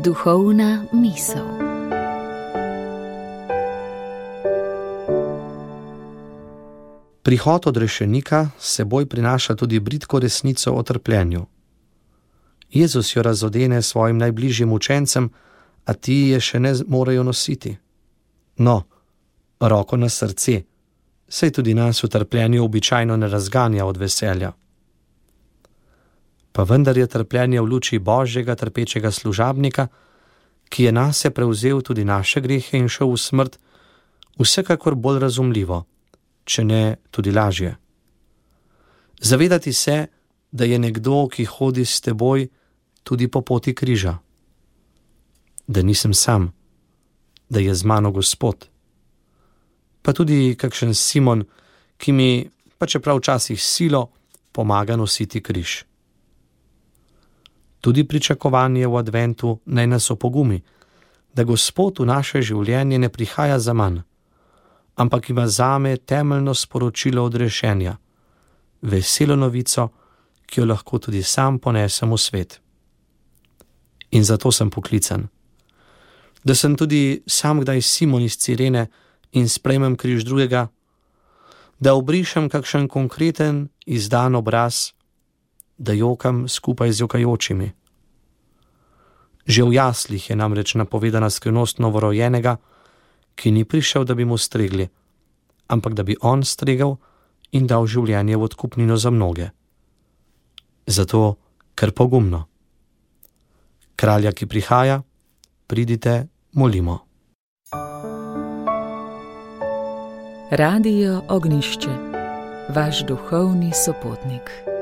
Duhovna misel. Prihod odrešenika s seboj prinaša tudi bridko resnico o trpljenju. Jezus jo razodene svojim najbližjim učencem, a ti je še ne morejo nositi. No, roko na srce, saj tudi nas v trpljenju običajno ne razganja od veselja. Pa vendar je trpljenje v luči Božjega trpečega služabnika, ki je nase prevzel tudi naše grehe in šel v smrt, vsekakor bolj razumljivo, če ne tudi lažje. Zavedati se, da je nekdo, ki hodi s teboj tudi po poti križa. Da nisem sam, da je z mano Gospod. Pa tudi kakšen Simon, ki mi, pa čeprav včasih silo, pomaga nositi križ. Tudi pričakovanje v adventu naj nas opogumi, da Gospod v naše življenje ne prihaja zaman, ampak ima zame temeljno sporočilo odrešenja, veselo novico, ki jo lahko tudi sam ponesem v svet. In zato sem poklican. Da sem tudi sam kdaj Simon iz Cirene in sprejmem križ drugega, da obrišem kakšen konkreten, izdan obraz, da jokam skupaj z jokajočimi. Že v jaslih je namreč napovedana skrivnost novorojenega, ki ni prišel, da bi mu stregli, ampak da bi on stregel in dal življenje v odkupnino za mnoge. Zato, ker pogumno. Kralja, ki prihaja, pridite, molimo. Radio Ognjišče, vaš duhovni sopotnik.